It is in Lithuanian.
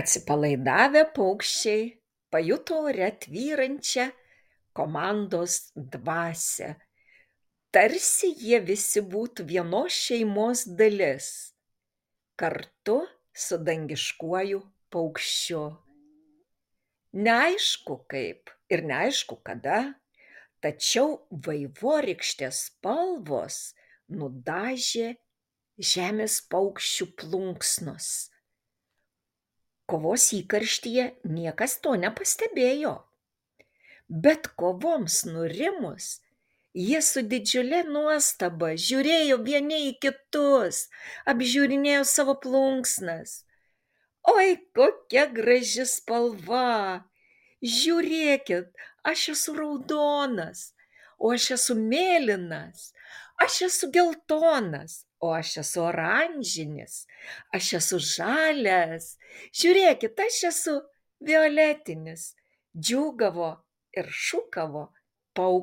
Atsipalaidavę paukščiai pajuto ore tvyrančią komandos dvasią, tarsi jie visi būtų vienos šeimos dalis, kartu su dangiškuoju paukščiu. Neaišku kaip ir neaišku kada, tačiau vaivorykštės spalvos nudažė žemės paukščių plunksnus. Kovos įkarštyje niekas to nepastebėjo, bet kovoms nurimus, jie su didžiule nuostaba žiūrėjo vieni į kitus, apžiūrinėjo savo plunksnas. Oi, kokia graži spalva! Žiūrėkit, aš esu raudonas, o aš esu mėlynas, aš esu geltonas, o aš esu oranžinis, aš esu žalias, žiūrėkit, aš esu violetinis, džiūgavo ir šūkavo paukščiai.